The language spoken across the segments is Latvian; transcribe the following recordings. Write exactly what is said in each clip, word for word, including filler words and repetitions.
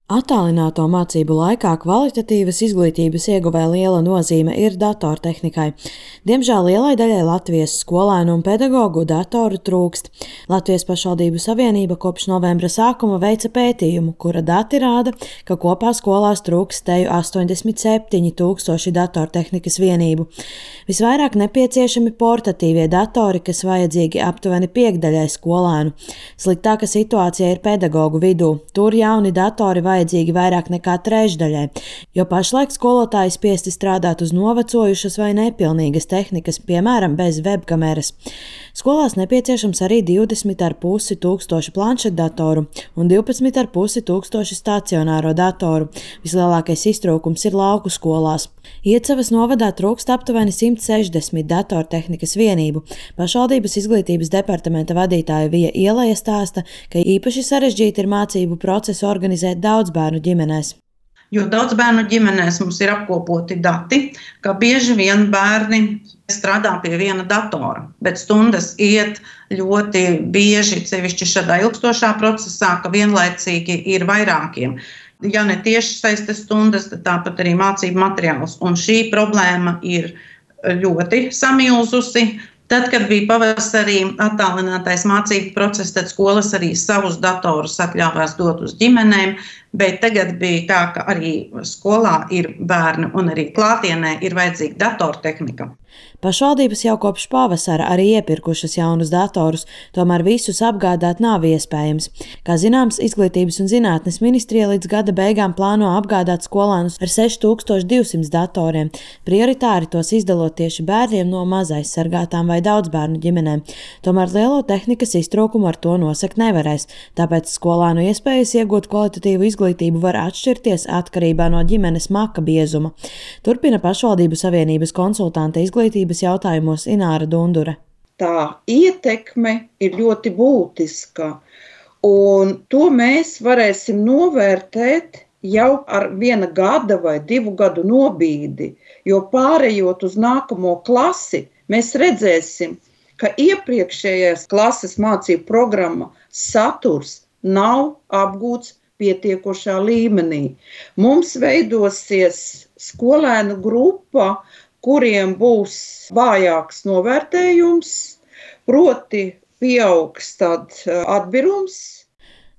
Attālināto mācību laikā kvalitatīvas izglītības ieguvē liela nozīme ir datortehnikai. Diemžēl lielai daļai Latvijas skolēnu un pedagogu datoru trūkst. Latvijas pašvaldību savienība kopš novembra sākuma veica pētījumu, kura dati rāda, ka kopā skolās trūkst teju astoņdesmit septiņi tūkstoši datortehnikas vienību. Visvairāk nepieciešami portatīvie datori, kas vajadzīgi aptuveni piekdaļai skolēnu. Sliktāka situācija ir pedagogu vidū. Tur jauni datori vajadzīgi vajadzīgi vairāk nekā trešdaļai, jo pašlaik skolotāji spiesti strādāt uz novecojušas vai nepilnīgas tehnikas, piemēram, bez webkameras. Skolās nepieciešams arī divdesmit ar pusi tūkstoši planšetdatoru un divpadsmit ar pusi tūkstoši stacionāro datoru. Vislielākais iztrūkums ir lauku skolās. Iecavas novadā trūkst aptuveni simt sešdesmit datortehnikas vienību. Pašvaldības izglītības departamenta vadītāja Vija Ieleja stāsta, ka īpaši sarežģīti ir mācību procesu organizēt daudzbērnu ģimenēs. Jo daudz bērnu ģimenēs mums ir apkopoti dati, ka bieži vien bērni strādā pie viena datora, bet stundas iet ļoti bieži, sevišķi šādā ilgstošā procesā, ka vienlaicīgi ir vairākiem. Ja ne tieši saistes stundas, tad tāpat arī mācību materiāls. Un šī problēma ir ļoti samilzusi. Tad, kad bija pavasarī attālinātais mācību process, tad skolas arī savus datorus atļāvās dot uz ģimenēm, bet tagad bija tā, ka arī skolā ir bērni un arī klātienē ir vajadzīga datortehnika. Pašvaldības jau kopš pavasara arī iepirkušas jaunus datorus, tomēr visus apgādāt nav iespējams. Kā zināms, Izglītības un zinātnes ministrija līdz gada beigām plāno apgādāt skolēnus ar seši tūkstoši divsimt datoriem, prioritāri tos izdalot tieši bērniem no mazaizsargātām vai daudzbērnu ģimenēm. Tomēr lielo tehnikas iztrūkumu ar to nosakt nevarēs, tāpēc skolēnu iespējas iegūt kvalitatīvu izglītību var atšķirties atkarībā no ģimenes maka biezuma. Turpina pašvaldību savienības konsultante izglītības jautājumos Ināra Dundure. Tā ietekme ir ļoti būtiska, un to mēs varēsim novērtēt jau ar viena gada vai divu gadu nobīdi, jo pārējot uz nākamo klasi, mēs redzēsim, ka iepriekšējās klases mācību programma saturs nav apgūts pietiekošā līmenī. Mums veidosies skolēnu grupa, kuriem būs vājāks novērtējums, proti pieaugs tad atbirums.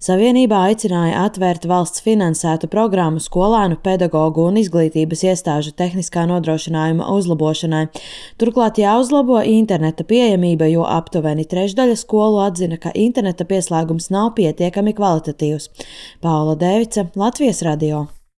Savienībā aicināja atvērt valsts finansētu programmu skolēnu, pedagogu un izglītības iestāžu tehniskā nodrošinājuma uzlabošanai. Turklāt jāuzlabo interneta pieejamība, jo aptuveni trešdaļa skolu atzina, ka interneta pieslēgums nav pietiekami kvalitatīvs. Paula Dēvica, Latvijas radio.